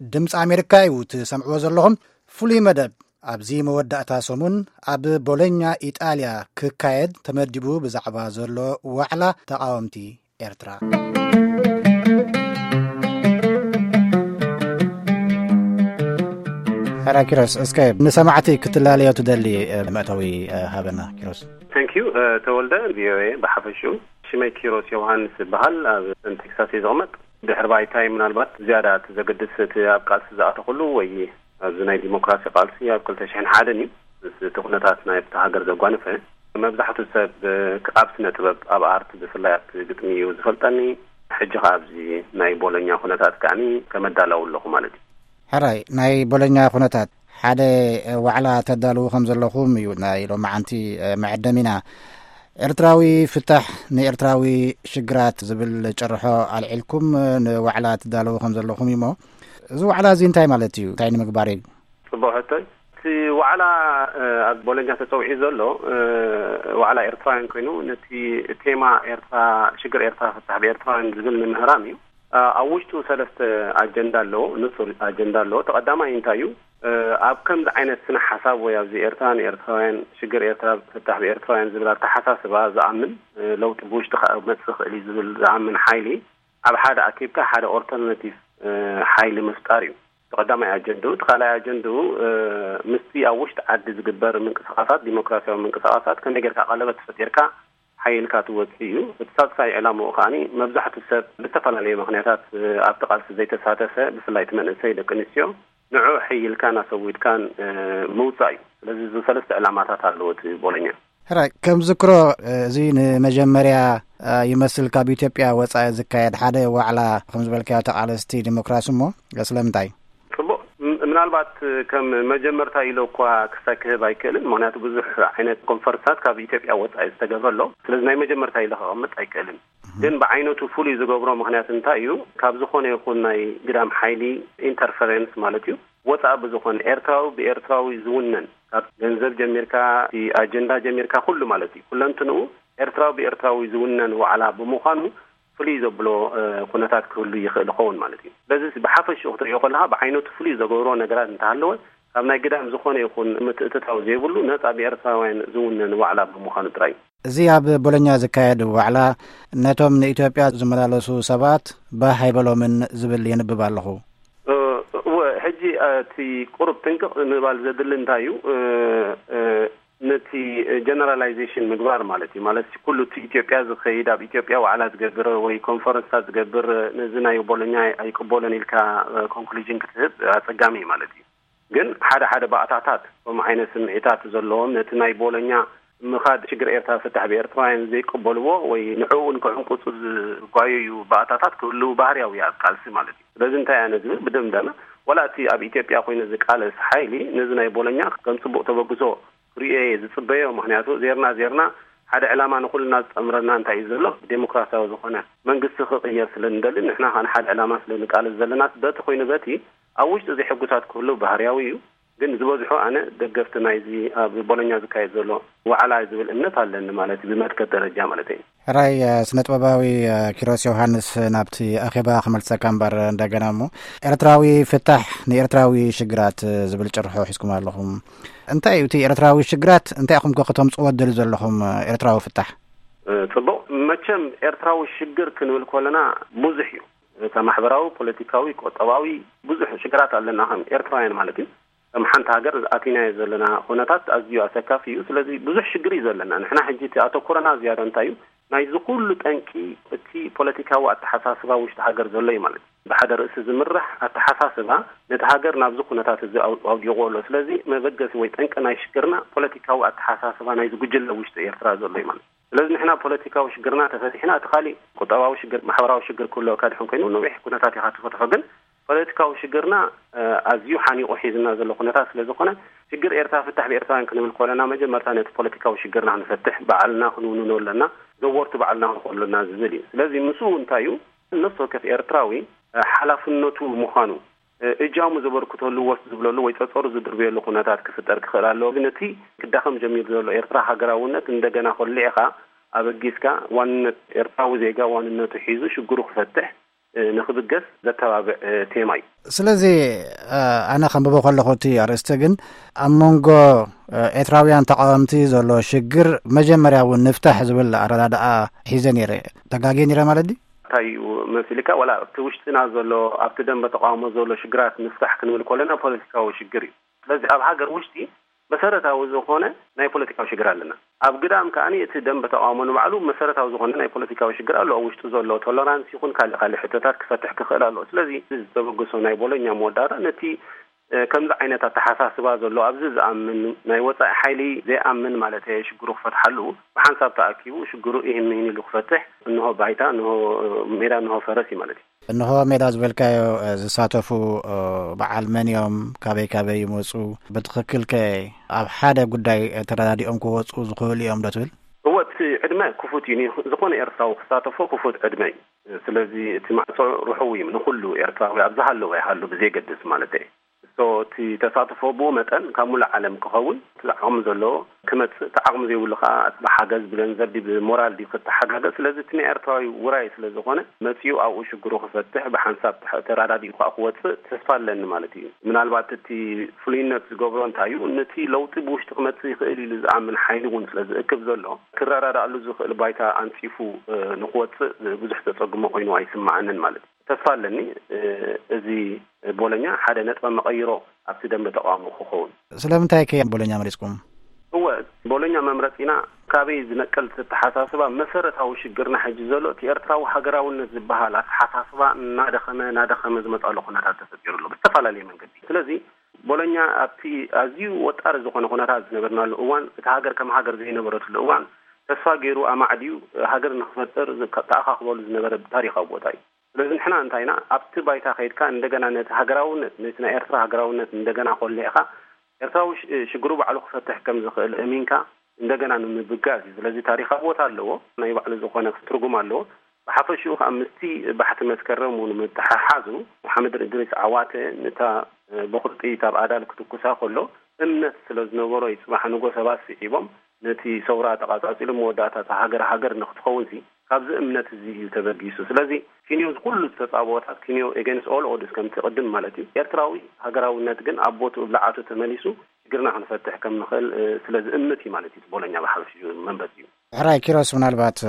ድምፂ ኣሜሪካ እዩ ትሰምዕዎ ዘለኹም። ፍሉይ መደብ ኣብዚ መወዳእታ ሰሙን ኣብ ቦሎኛ ኢጣልያ ክካየድ ተመዲቡ ብዛዕባ ዘሎ ዋዕላ ተቃወምቲ ኤርትራ። ሕራ ኪሮስ፣ እስከ ንሰማዕቲ ክትላለዮ ትደሊ መእተዊ ሃበና ኪሮስ። Thank you ተወልደ። ቪኦኤ ብሓፈሽኡ ሽመይ ኪሮስ ዮሃንስ ይበሃል። ኣብ ቴክሳስ እየ ዝቕመጥ። ድሕሪ ባይታይ ምናልባት ዝያዳ እቲ ዘገድስ እቲ ኣብ ቃልሲ ዝኣተኹሉ ወይ ኣብዚ ናይ ዲሞክራሲ ቃልሲ ኣብ ክልተ ሽሕን ሓደን እዩ። ምስ እቲ ኩነታት ናይ ኣብቲ ሃገር ዘጓነፈ መብዛሕቱ ሰብ ኣብ ስነ ጥበብ፣ ኣብ ኣርት፣ ብፍላይ ኣብቲ ግጥሚ እዩ ዝፈልጠኒ። ሕጂ ከኣ ኣብዚ ናይ ቦሎኛ ኩነታት ከኣኒ ከመዳለዉ ኣለኹ ማለት እዩ። ሕራይ ናይ ቦሎኛ ኩነታት ሓደ ዋዕላ ተዳልዉ ከም ዘለኹም እዩ ናይ ሎማዓንቲ መዐደሚና። ኤርትራዊ ፍታሕ ንኤርትራዊ ሽግራት ዝብል ጭርሖ ኣልዒልኩም ንዋዕላ ትዳለዉ ከም ዘለኹም እዩሞ፣ እዚ ዋዕላ እዚ እንታይ ማለት እዩ? እንታይ ንምግባር እዩ? ጽቡቕ ሕቶይ። እቲ ዋዕላ ኣብ ቦሎኛ ተጸውዒ ዘሎ ዋዕላ ኤርትራውያን ኮይኑ፣ ነቲ ቴማ ኤርትራ፣ ሽግር ኤርትራ ፍታሕ ብኤርትራውያን ዝብል ንምህራም እዩ። ኣብ ውሽጡ ሰለስተ ኣጀንዳ ኣለዎ፣ ንጹር ኣጀንዳ ኣለዎ። ተቐዳማይ እንታይ እዩ? ኣብ ከምዚ ዓይነት ስነ ሓሳብ ወይ ኣብዚ ኤርትራ ንኤርትራውያን፣ ሽግር ኤርትራ ፍታሕ ብኤርትራውያን ዝብል ኣተሓሳስባ ዝኣምን፣ ለውጢ ብውሽጢ ክመጽእ ይኽእል እዩ ዝብል ዝኣምን ሓይሊ ኣብ ሓደ ኣኪብካ ሓደ ኦልተርናቲቭ ሓይሊ ምፍጣር እዩ። እቲ ቀዳማይ ኣጀንድኡ። እቲ ካልኣይ ኣጀንድኡ ምስቲ ኣብ ውሽጢ ዓዲ ዝግበር ምንቅስቃሳት፣ ዲሞክራሲያዊ ምንቅስቃሳት ከመይ ጌርካ ቀለበት ፈጢርካ ሓይልካ ትወጽእ እዩ። እቲ ሳልሳይ ዕላምኡ ከኣኒ መብዛሕቱ ሰብ ብዝተፈላለየ ምኽንያታት ኣብቲ ቃልሲ ዘይተሳተፈ፣ ብፍላይ እቲ መንእሰይ፣ ደቂ ኣንስትዮ፣ ንዑ ሕይልካን ኣሰዊድካን ምውጻእ እዩ። ስለዚ እዚ ሰለስተ ዕላማታት ኣለዎ እቲ ቦሎኛ። ሕራይ ከም ዝክሮ፣ እዚ ንመጀመርያ ይመስል ካብ ኢትዮጵያ ወጻኢ ዝካየድ ሓደ ዋዕላ ከም ዝበልካዮ ተቓለስቲ ዲሞክራሲ። እሞ ስለምንታይ? ጽቡቕ። ምናልባት ከም መጀመርታ ኢለ እኳ ክሳይ ክህብ ኣይክእልን፣ ምኽንያቱ ብዙሕ ዓይነት ኮንፈረንሳት ካብ ኢትዮጵያ ወጻኢ ዝተገብረ ኣሎ። ስለዚ ናይ መጀመርታ ኢለ ከቐምጥ ኣይክእልን። ግን ብዓይነቱ ፍሉይ ዝገብሮ ምኽንያት እንታይ እዩ? ካብ ዝኾነ ይኹን ናይ ግዳም ሓይሊ፣ ኢንተርፈረንስ ማለት እዩ፣ ወጻኢ ብዝኾነ፣ ኤርትራዊ ብኤርትራዊ ዝውነን፣ ካብ ገንዘብ ጀሚርካ፣ እቲ ኣጀንዳ ጀሚርካ፣ ኩሉ ማለት እዩ፣ ኩለንትንኡ ኤርትራዊ ብኤርትራዊ ዝውነን ዋዕላ ብምዃኑ ፍሉይ ዘብሎ ኩነታት ክህሉ ይኽእል ይኸውን ማለት እዩ። በዚ ብሓፈሽኡ ክትሪኦ ከለኻ፣ ብዓይነቱ ፍሉይ ዘገብሮ ነገራት እንተሃለወ፣ ካብ ናይ ግዳም ዝኾነ ይኹን ምትእትታው ዘይብሉ፣ ነጻ ብኤርትራውያን ዝውነን ዋዕላ ብምዃኑ ጥራይ እዩ። እዚ ኣብ ቦሎኛ ዝካየድ ዋዕላ ነቶም ንኢትዮጵያ ዝመላለሱ ሰባት ባህ ኣይበሎምን ዝብል የንብብ ኣለኹ። እወ፣ ሕጂ እቲ ቁሩብ ጥንቅቕ ንምባል ዘድሊ እንታይ እዩ? ነቲ ጀነራላይዜሽን ምግባር ማለት እዩ። ማለት ኩሉ እቲ ኢትዮጵያ ዝኸይድ፣ ኣብ ኢትዮጵያ ዋዕላ ዝገብር ወይ ኮንፈረንስታት ዝገብር፣ ነዚ ናይ ቦሎኛ ኣይቅበሎን ኢልካ ኮንክሉዥን ክትህብ ኣጸጋሚ እዩ ማለት እዩ። ግን ሓደ ሓደ ባእታታት ከምኡ ዓይነት ስምዒታት ዘለዎም፣ ነቲ ናይ ቦሎኛ ምኻድ ሽግር ኤርትራ ፍታሕ ብኤርትራውያን ዘይቅበልዎ ወይ ንዕኡ እውን ክዕንቁጹ ዝጓየዩ ባእታታት ክህልው ባህርያዊ ኣብ ቃልሲ ማለት እዩ። ስለዚ እንታይ ኣነ ዝብል ብደምዳመ፣ ዋላ እቲ ኣብ ኢትዮጵያ ኮይኑ ዝቃለስ ሓይሊ ነዚ ናይ ቦሎኛ ከም ጽቡቕ ተበግሶ ክርእዮ እየ ዝጽበዮ። ምኽንያቱ ዜርና ዜርና ሓደ ዕላማ ንኹልና ዝጠምረና እንታይ እዩ ዘሎ? ዴሞክራሲያዊ ዝኾነ መንግስቲ ክቕየር ስለ ንደሊ፣ ንሕና ከኣ ንሓደ ዕላማ ስለ ንቃለስ ዘለና፣ በቲ ኮይኑ በቲ ኣብ ውሽጢ እዚ ሕጉሳት ክህልው ባህርያዊ እዩ። ግን ዝበዝሑ ኣነ ደገፍቲ ናይዚ ኣብ ቦሎኛ ዝካየድ ዘሎ ዋዕላ ዝብል እምነት ኣለኒ ማለት እዩ፣ ብመትከል ደረጃ ማለት እዩ። ሕራይ፣ እ፣ ስነ ጥበባዊ፣ እ፣ ኪሮስ ዮሃንስ ናብቲ ኣኼባ ክመልሰካ እምበር እንደገና እሞ፣ ኤርትራዊ ፍታሕ ንኤርትራዊ ሽግራት፣ እ፣ ዝብል ጭርሖ ሒዝኩም ኣለኹም። እንታይ እዩ እቲ ኤርትራዊ ሽግራት? እንታይ ኢኹም ከ ከተምጽዎ ትደልዩ ዘለኹም፣ እ፣ ኤርትራዊ ፍታሕ? እ፣ ጽቡቕ። መቸም ኤርትራዊ ሽግር ክንብል ከለና ብዙሕ እዩ። እታ ማሕበራዊ፣ ፖለቲካዊ፣ ቁጠባዊ ብዙሕ ሽግራት ኣለና ከም ኤርትራውያን ማለት እዩ። ከም ሓንቲ ሃገር ኣቲናዮ ዘለና ኩነታት ኣዝዩ ኣሰካፊ እዩ። ስለዚ ብዙሕ ሽግር እዩ ዘለና። ንሕና ሕጂ እቲ ኣተኩሮና ዝያዳ እንታይ እዩ? ናይዚ ኩሉ ጠንቂ እቲ ፖለቲካዊ ኣተሓሳስባ ውሽጢ ሃገር ዘሎ እዩ ማለት እዩ። ብሓደ ርእሲ ዝምራሕ ኣተሓሳስባ ነቲ ሃገር ናብዚ ኩነታት እዚ ኣው-፣ ኣውዲቑ ኣሎ። ስለዚ መበገሲ ወይ ጠንቂ ናይ ሽግርና ፖለቲካዊ ኣተሓሳስባ ናይዚ ጉጅለ ውሽጢ ኤርትራ ዘሎ እዩ ማለት እዩ። ስለዚ ንሕና ፖለቲካዊ ሽግርና ተፈቲሕና፣ እቲ ካሊእ ቁጠባዊ ሽግር፣ ማሕበራዊ ሽግር ክህልወካ ድሕን ኮይኑ ነዊሕ ኩነታት ኢኻ ትፈትሖ። ግን ፖለቲካዊ ሽግርና፣ እ፣ ኣዝዩ ሓኒቑ ሒዝና ዘሎ ኩነታት ስለ ዝኾነ፣ ሽግር ኤርትራ ፍታሕ ብኤርትራውያን ክንብል ከለና መጀመርታ ነቲ ፖለቲካዊ ሽግርና ክንፈትሕ፣ ባዕልና ክንውንኖ ኣለና፣ ዘወርቲ ባዕልና ክንኾኑ ኣለና ዝብል እዩ። ስለዚ ምስኡ እንታይ እዩ? ነፍሲ ወከፍ ኤርትራዊ፣ እ፣ ሓላፍነቱ ምዃኑ፣ እ፣ እጃሙ ዘበርክተሉ፣ ወስ ዝብለሉ ወይ ጸጸሩ ዝድርብየሉ ኩነታት ክፍጠር ክኽእል ኣለዎ። ግን እቲ ክዳኸም ጀሚሩ ዘሎ ኤርትራ ሃገራውነት እንደገና ኮሊዕኻ ኣበጊስካ ዋንነት ኤርትራዊ ዜጋ ዋንነቱ ሒዙ ሽግሩ ክፈትሕ፣ ንክብገስ ዘተባብዕ ቴማ እዩ። ስለዚ ኣነ ከንብቦ ከለኹ እቲ ኣርእስቲ ግን ኣብ መንጎ ኤርትራውያን ተቃወምቲ ዘሎ ሽግር መጀመርያ እውን ንፍታሕ ዝብል ኣረዳድኣ ሒዘ ነይረ። ተጋግየ ነይረ ማለት ድዩ? እንታይ እዩ መሲልካ? ዋላ ኣብቲ ውሽጥና ዘሎ፣ ኣብቲ ደንበ ተቃውሞ ዘሎ ሽግራት ንፍታሕ ክንብል ከለና ፖለቲካዊ ሽግር እዩ። ስለዚ ኣብ ሃገር ውሽጢ መሰረታዊ ዝኾነ ናይ ፖለቲካዊ ሽግር ኣለና። ኣብ ግዳም ከኣ እቲ ደንበ ተቃውሞ ንባዕሉ መሰረታዊ ዝኾነ ናይ ፖለቲካዊ ሽግር ኣሎ። ኣብ ውሽጡ ዘሎ ቶለራንስ ይኹን ካልእ ካልእ ሕቶታት ክፈትሕ ክኽእል ኣለዎ። ስለዚ ዝተበገሶ ናይ ቦሎኛ መወዳእታ ነቲ ከምዚ ዓይነት ኣተሓሳስባ ዘሎ ኣብዚ ዝኣምን ናይ ወጻኢ ሓይሊ ዘይኣምን ማለት ሽግሩ ክፈትሓሉ ብሓንሳብ ተኣኪቡ ሽግሩ ኢህን ምሂን ኢሉ ክፈትሕ እንሆ ባይታ፣ እንሆ ሜዳ፣ እንሆ ፈረስ እዩ ማለት እዩ። እንሆ ሜዳ ዝበልካዮ ዝሳተፉ በዓል መን እዮም፣ ካበይ ካበይ ይመፁ፣ ብትኽክል ከ ኣብ ሓደ ጉዳይ ተረዳዲኦም ክወፁ ዝኽእሉ እዮም ዶ ትብል? እወ፣ እቲ ዕድመ ክፉት እዩ። ዝኾነ ኤርትራዊ ክሳተፎ ክፉት ዕድመ እዩ። ስለዚ እቲ ማዕጾ ርሑው እዩ ንኹሉ ኤርትራዊ ኣብ ዝሃለወ ይሃሉ ብዘየገድስ ማለት እዩ። እቶ እቲ ተሳትፎ ብኡ መጠን ካብ ሙሉእ ዓለም ክኸውን እቲ ዓቕሚ ዘለዎ ክመጽእ፣ እቲ ዓቕሚ ዘይብሉ ከኣ ብሓገዝ ብገንዘብ ድዩ ብሞራል ድዩ ክተሓጋገዝ። ስለዚ እቲ ናይ ኤርትራዊ ውራይ ስለ ዝኾነ መጺኡ ኣብኡ ሽግሩ ክፈትሕ ብሓንሳብ ተሕ-፣ ተራዳዲኡ ከኣ ክወጽእ ተስፋ ኣለኒ ማለት እዩ። ምናልባት እቲ ፍሉይነት ዝገብሮ እንታይ እዩ? ነቲ ለውጢ ብውሽጢ ክመጽእ ይኽእል ኢሉ ዝኣምን ሓይሊ እውን ስለ ዝእክብ ዘሎ ክረዳዳእሉ ዝኽእል ባይታ ኣንጺፉ ንክወጽእ ብዙሕ ዘጸግሞ ኮይኑ ኣይስምዓንን ማለት እዩ። ተስፋ ኣለኒ እዚ ቦሎኛ ሓደ ነጥበ መቐይሮ ኣብቲ ደንበ ተቃውሞ ክኸውን። ስለምንታይ ከ ቦሎኛ መሪጽኩም? እወ፣ ቦሎኛ መምረጺና ካበይ ዝነቀል ተተሓሳስባ መሰረታዊ ሽግርና ሕጂ ዘሎ እቲ ኤርትራዊ ሃገራውነት ዝበሃል ኣተሓሳስባ እናደኸመ እናደኸመ ዝመጻሉ ኩነታት ተፈጢሩ ኣሎ ብዝተፈላለየ መንገዲ። ስለዚ ቦሎኛ ኣብቲ ኣዝዩ ወጣሪ ዝኾነ ኩነታት ዝነበርናሉ እዋን፣ እቲ ሃገር ከም ሃገር ዘይነበረትሉ እዋን ተስፋ ገይሩ ኣማዕድዩ ሃገር ንክፈጥር ተኣኻኽበሉ ዝነበረ ታሪኻዊ ቦታ እዩ። ስለዚ ንሕና እንታይ ኢና ኣብቲ ባይታ ከይድካ እንደገና ነቲ ሃገራውነት ነቲ ናይ ኤርትራ ሃገራውነት እንደገና ኮሊዕካ ኤርትራዊ ሽግሩ ባዕሉ ክፈትሕ ከም ዝኽእል እሚንካ እንደገና ንምብጋስ እዩ። ስለዚ ታሪኻዊ ቦታ ኣለዎ፣ ናይ ባዕሉ ዝኾነ ትርጉም ኣለዎ። ብሓፈሽኡ ከዓ ምስቲ ባሕቲ መስከረም እውን ምትሓሓዙ ሓምድ እድሪስ ዓዋተ ነታ በኹርጢ ኣብ ኣዳል ክትኩሳ ከሎ እምነት ስለ ዝነበሮ እዩ። ፅባሕ ንጎ ሰባት ስዒቦም ነቲ ሰውራ ተቓጻጺሉ መወዳእታ እታ ሃገር ሃገር ንክትኸውን ሲ ካብዚ እምነት እዚ እዩ ተበጊሱ። ስለዚ ኪንዮ ኩሉ ዝተጻብኦታት ኪንዮ against all odds ከምቲ ቅድም ማለት እዩ ኤርትራዊ ሃገራውነት ግን ኣብ ቦትኡ ብልዓቱ ተመሊሱ ሽግርና ክንፈትሕ ከም ንኽእል ስለ ዝእምት እዩ ማለት እዩ። ቦሎኛ ብሓፈሽኡ መንበብ እዩ። ሕራይ ኪሮስ፣ ምናልባት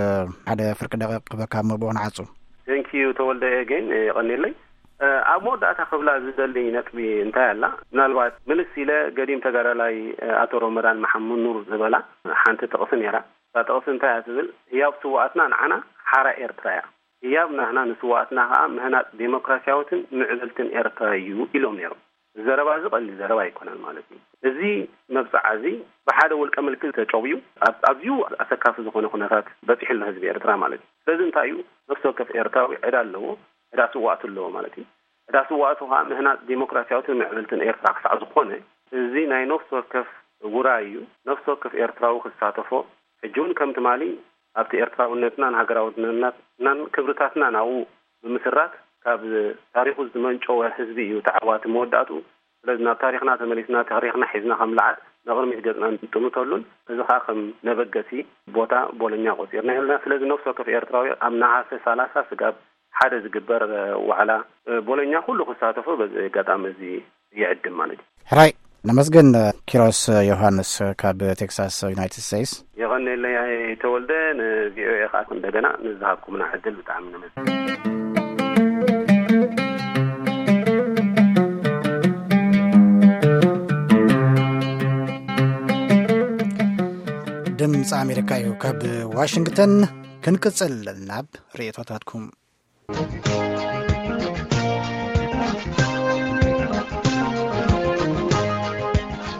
ሓደ ፍርቂ ደቂቕ ክበካ እሞ ብኡ ንዓጹ። Thank you ተወልደ፣ again የቐንየለይ። ኣብ መወዳእታ ክብላ ዝደሊ ነጥቢ እንታይ ኣላ? ምናልባት ምልስ ኢለ ገዲም ተጋዳላይ ኣቶ ሮመዳን መሓመድ ኑር ዝበላ ሓንቲ ጥቕሲ ነይራ። እታ ጥቕሲ እንታይ እያ ትብል? ህያብ ስውኣትና ንዓና ሓራ ኤርትራ እያ። ህያብ ናህና ንስውኣትና ከኣ ምህናጽ ዴሞክራሲያዊትን ምዕብልትን ኤርትራ እዩ ኢሎም ነይሮም። ዘረባ እዚ ቀሊል ዘረባ ኣይኮነን ማለት እዩ። እዚ መብጽዓ እዚ ብሓደ ውልቀ ምልኪ ተጨውዩ ኣብ ኣዝዩ ኣሰካፊ ዝኾነ ኩነታት በጺሑ ኣሎ ህዝቢ ኤርትራ ማለት እዩ። ስለዚ እንታይ እዩ ነፍሲ ወከፍ ኤርትራዊ ዕዳ ኣለዎ፣ ዕዳ ስውኣቱ ኣለዎ ማለት እዩ። ዕዳ ስውኣቱ ከኣ ምህናጽ ዴሞክራሲያዊትን ምዕብልትን ኤርትራ ክሳዕ ዝኾነ እዚ ናይ ነፍሲ ወከፍ ውራይ እዩ። ነፍሲ ወከፍ ኤርትራዊ ክሳተፎ ሕጂ እውን ከም ትማሊ ኣብቲ ኤርትራውነትናን ሃገራውነትናን ክብርታትናን ኣብኡ ብምስራት ካብ ታሪኹ ዝመንጨወ ህዝቢ እዩ ተዓዋቲ መወዳእትኡ። ስለዚ ናብ ታሪኽና ተመሊስና ታሪኽና ሒዝና ከም ልዓል ንቕድሚት ገጽና ንጥምተሉን እዚ ኸኣ ከም ነበገሲ ቦታ ቦሎኛ ቆጺርና ኣለና። ስለዚ ነፍሲ ወከፍ ኤርትራዊ ኣብ ነሃሰ ሰላሳ ስጋብ ሓደ ዝግበር ዋዕላ ቦሎኛ ኩሉ ክሳተፎ በዚ ኣጋጣሚ እዚ ይዕድም ማለት እዩ። ሕራይ ነመስግን። ኪሮስ ዮሃንስ ካብ ቴክሳስ ዩናይትድ ስቴትስ። የቐንየለይ ተወልደ፣ ንቪኦኤ ከዓ እንደገና ንዝሃብኩምና ዕድል ብጣዕሚ ነመስግን። ድምፂ ኣሜሪካ እዩ። ካብ ዋሽንግተን ክንቅፅል ናብ ርእቶታትኩም።